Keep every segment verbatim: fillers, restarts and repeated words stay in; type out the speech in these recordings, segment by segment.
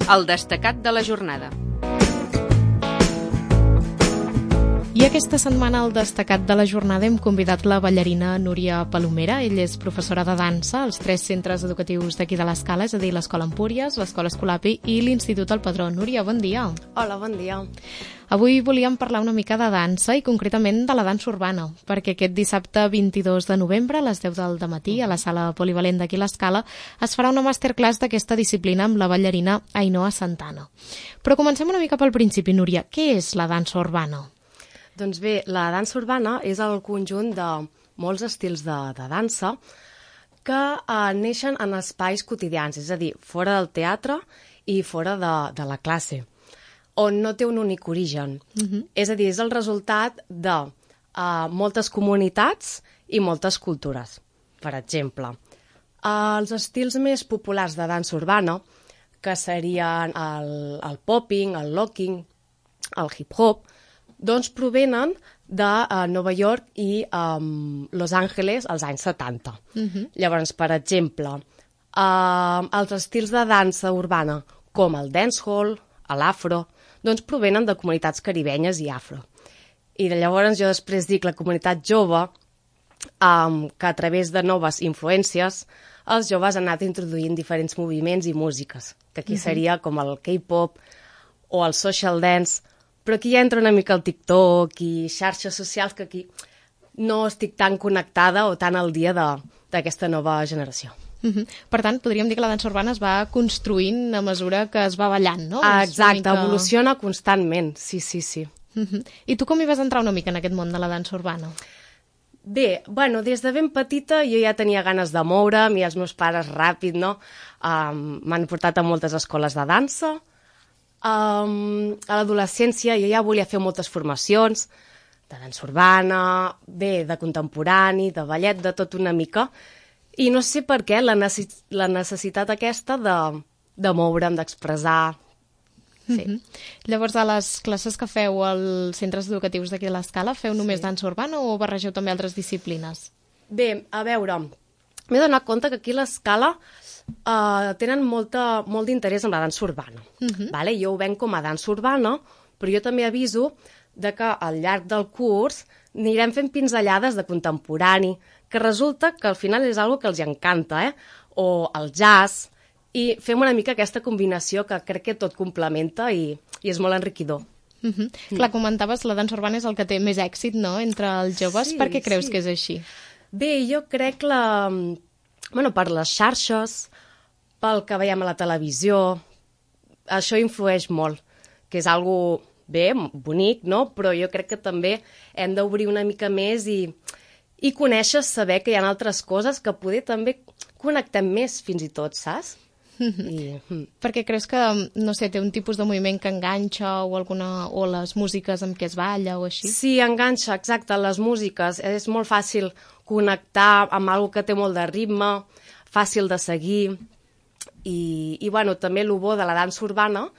El destacat de la jornada. I aquesta setmana al destacat de la jornada hem convidat la ballarina Núria Palomera. Ella és professora de dansa als tres centres educatius d'aquí de l'Escala, és a dir, l'Escola Empúries, l'Escola Escolapi i l'Institut El Padró. Núria, bon dia. Hola, bon dia. Avui volíem parlar una mica de dansa i concretament de la dansa urbana, perquè aquest dissabte vint-i-dos de novembre a les deu del matí a la sala polivalent d'aquí l'Escala es farà una masterclass d'aquesta disciplina amb la ballarina Ainhoa Santana. Però comencem una mica pel principi, Núria. Què és la dansa urbana? Doncs bé, la dansa urbana és el conjunt de molts estils de, de dansa que eh, neixen en espais quotidians, és a dir, fora del teatre i fora de, de la classe, on no té un únic origen. Uh-huh. És a dir, és el resultat de eh, moltes comunitats i moltes cultures. Per exemple, eh, els estils més populars de dansa urbana, que serien el, el popping, el locking, el hip-hop, doncs provenen de uh, Nova York i um, Los Angeles als anys setanta. Uh-huh. Llavors, per exemple, uh, els estils de dansa urbana, com el dancehall, l'afro, doncs provenen de comunitats caribenyes i afro. I de llavors jo després dic la comunitat jove, um, que a través de noves influències, els joves han anat introduint diferents moviments i músiques, que aquí uh-huh. seria com el K-pop o el social dance, però aquí ja entra una mica el TikTok i xarxes socials que aquí no estic tan connectada o tan al dia d'aquesta nova generació. Uh-huh. Per tant, podríem dir que la dansa urbana es va construint a mesura que es va ballant, no? Ah, exacte, mica... evoluciona constantment, sí, sí, sí. Uh-huh. I tu com hi vas entrar una mica en aquest món de la dansa urbana? Bé, bueno, des de ben petita jo ja tenia ganes de moure'm i els meus pares ràpid, no? Um, m'han portat a moltes escoles de dansa. Um, a l'adolescència jo ja volia fer moltes formacions de dansa urbana, bé, de contemporani, de ballet, de tot una mica, i no sé per què la, necess la necessitat aquesta de, de moure'm, d'expressar. Sí. Uh-huh. Llavors, a les classes que feu als centres educatius d'aquí de l'Escala, feu només sí. dansa urbana o barregeu també altres disciplines? Bé, a veure, m'he donat compte que aquí a l'Escala Uh, tenen molta, molt d'interès en la dansa urbana. Uh-huh. Vale? Jo ho venc com a dansa urbana, però jo també aviso de que al llarg del curs anirem fent pinzellades de contemporani, que resulta que al final és algo que els encanta, eh? O el jazz, i fem una mica aquesta combinació que crec que tot complementa i, i és molt enriquidor. Uh-huh. Mm. Clar, comentaves, la dansa urbana és el que té més èxit, no?, entre els joves. Sí, per què creus sí. que és així? Bé, jo crec la... Bueno, per les xarxes, pel que veiem a la televisió, això influeix molt, que és algo bé, bonic, no? Però jo crec que també hem d'obrir una mica més i, i conèixer, saber que hi ha altres coses que poder també connectem més fins i tot, saps? I, mm. Perquè creus que, no sé, té un tipus de moviment que enganxa o, alguna, o les músiques amb què es balla o així? Sí, enganxa, exacte, les músiques. És molt fàcil connectar amb alguna que té molt de ritme, fàcil de seguir. I, i bueno, també el bo de la dansa urbana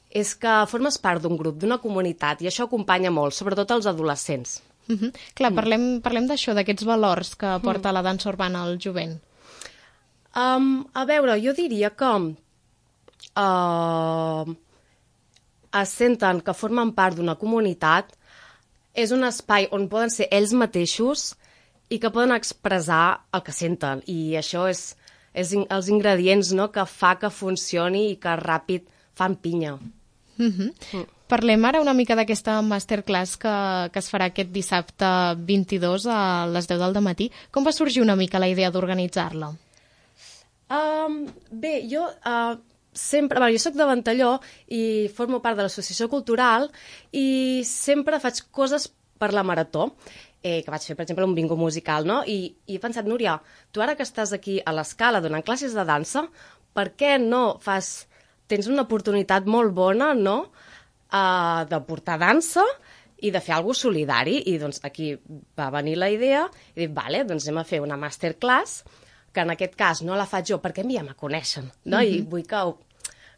és que formes part d'un grup, d'una comunitat, i això acompanya molt, sobretot els adolescents. Uh-huh. Clar, mm. parlem, parlem d'això, d'aquests valors que porta mm. la dansa urbana al jovent. Um, a veure, jo diria que uh, es senten que formen part d'una comunitat, és un espai on poden ser ells mateixos i que poden expressar el que senten, i això és, és in els ingredients, no?, que fa que funcioni i que ràpid fan pinya. Uh-huh. Mm. Parlem ara una mica d'aquesta masterclass que, que es farà aquest dissabte vint-i-dos a les deu del matí. Com va sorgir una mica la idea d'organitzar-la? Um, bé, jo uh, sempre... Bueno, jo soc de Ventalló i formo part de l'associació cultural i sempre faig coses per la marató, eh, que vaig fer, per exemple, un bingo musical, no? I, i he pensat, Núria, tu ara que estàs aquí a l'Escala donant classes de dansa, per què no fas... Tens una oportunitat molt bona, no?, uh, de portar dansa i de fer alguna cosa solidari. I doncs aquí va venir la idea i dic, vale, doncs anem a fer una masterclass, que en aquest cas no la faig jo perquè a mi ja me coneixen, no? Mm-hmm. I vull que,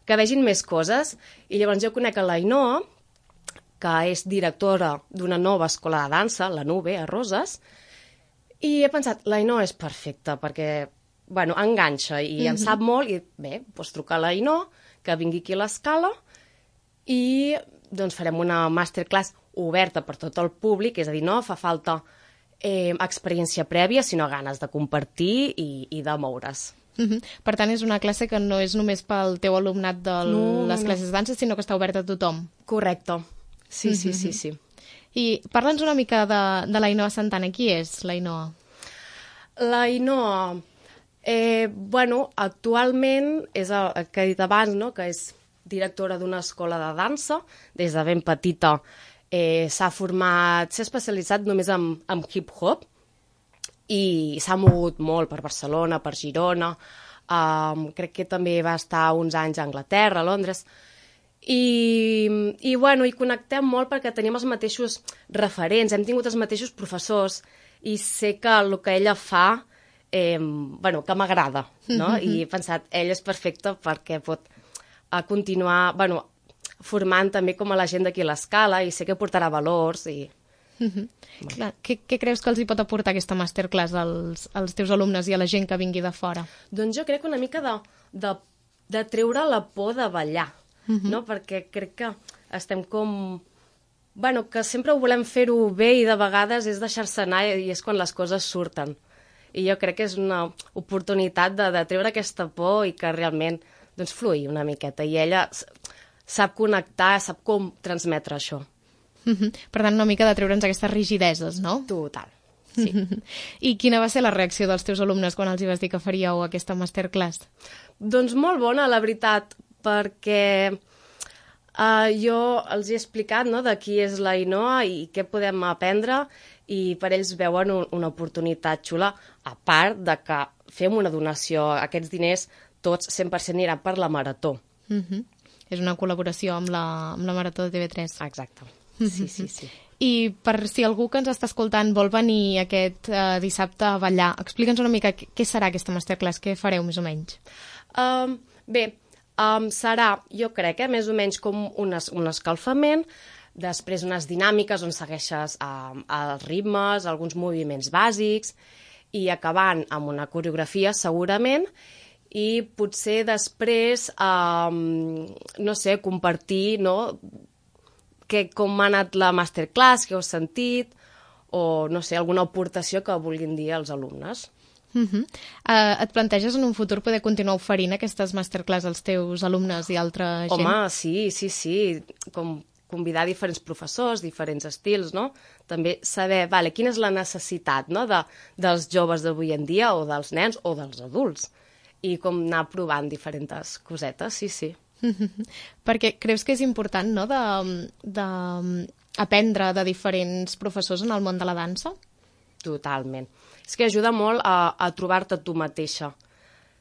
que vegin més coses. I llavors jo conec a l'Ainhoa, que és directora d'una nova escola de dansa, la Nube, a Roses, i he pensat, l'Ainhoa és perfecta, perquè bueno, enganxa i mm-hmm. en sap molt, i bé, doncs truca a l'Ainhoa, que vingui aquí a l'escala, i doncs farem una masterclass oberta per tot el públic, és a dir, no fa falta eh, experiència prèvia, sinó ganes de compartir i, i de moure's. Uh-huh. Per tant, és una classe que no és només pel teu alumnat de no, les classes de dansa, sinó que està oberta a tothom. Correcte. Sí, sí, sí, sí. I parla'ns una mica de, de l'Ainhoa Santana. Qui és l'Ainhoa? L'Ainhoa, eh, bueno, actualment és el, el que he dit abans, no?, que és directora d'una escola de dansa. Des de ben petita eh, s'ha format, s'ha especialitzat només en, en hip-hop, i s'ha mogut molt per Barcelona, per Girona, um, crec que també va estar uns anys a Anglaterra, a Londres, i, i, bueno, i connectem molt perquè tenim els mateixos referents, hem tingut els mateixos professors, i sé que el que ella fa, eh, bueno, que m'agrada, no? Mm-hmm. I he pensat, ella és perfecta perquè pot a continuar, bueno, formant també com a la gent d'aquí a l'escala, i sé que portarà valors i... Mm-hmm. Clar, què, què creus que els hi pot aportar aquesta masterclass als, als teus alumnes i a la gent que vingui de fora? Doncs jo crec una mica de, de, de treure la por de ballar, mm-hmm. no? Perquè crec que estem com... Bueno, que sempre ho volem fer-ho bé i de vegades és deixar-se anar i és quan les coses surten. I jo crec que és una oportunitat de, de treure aquesta por i que realment doncs, fluï una miqueta. I ella sap connectar, sap com transmetre això. Mm-hmm. Per tant, una mica de treure'ns aquestes rigideses, no? Total, sí. Mm-hmm. I quina va ser la reacció dels teus alumnes quan els hi vas dir que faríeu aquesta masterclass? Doncs molt bona, la veritat, perquè uh, jo els he explicat, no?, de qui és l'Ainhoa i què podem aprendre, i per ells veuen un, una oportunitat xula, a part de que fem una donació. Aquests diners tots cent per cent aniran per la Marató. Mm-hmm. És una col·laboració amb la, amb la Marató de T V tres. Exacte. Sí, sí, sí. I per si algú que ens està escoltant vol venir aquest uh, dissabte a ballar, explica'ns una mica què serà aquesta masterclass, què fareu més o menys? Um, bé, um, serà, jo crec, eh, més o menys com un, es, un escalfament, després unes dinàmiques on segueixes um, els ritmes, alguns moviments bàsics, i acabant amb una coreografia segurament, i potser després, um, no sé, compartir, no?, que com ha anat la masterclass, que heu sentit, o, no sé, alguna aportació que vulguin dir als alumnes. Uh-huh. Uh, et planteges en un futur poder continuar oferint aquestes masterclass als teus alumnes i altra gent? Home, sí, sí, sí. Com convidar diferents professors, diferents estils, no? També saber, vale, quina és la necessitat, no?, de, dels joves d'avui en dia, o dels nens, o dels adults. I com anar provant diferents cosetes, sí, sí. Perquè creus que és important, no?, de, de aprendre de diferents professors en el món de la dansa? Totalment. És que ajuda molt a, a trobar-te tu mateixa.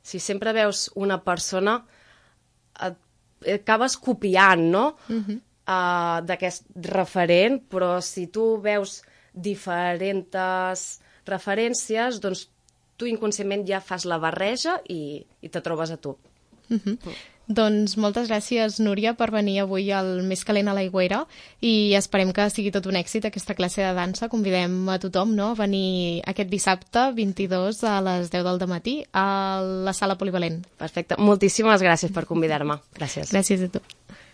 Si sempre veus una persona, et, et acabes copiant, no?, uh-huh. uh, d'aquest referent, però si tu veus diferents referències, doncs tu inconscientment ja fas la barreja i, i te trobes a tu. Uh-huh. Uh. Doncs moltes gràcies, Núria, per venir avui al Més calent a l'Aigüera, i esperem que sigui tot un èxit aquesta classe de dansa. Convidem a tothom, no?, a venir aquest dissabte vint-i-dos a les deu del matí a la sala polivalent. Perfecte. Moltíssimes gràcies per convidar-me. Gràcies. Gràcies a tu.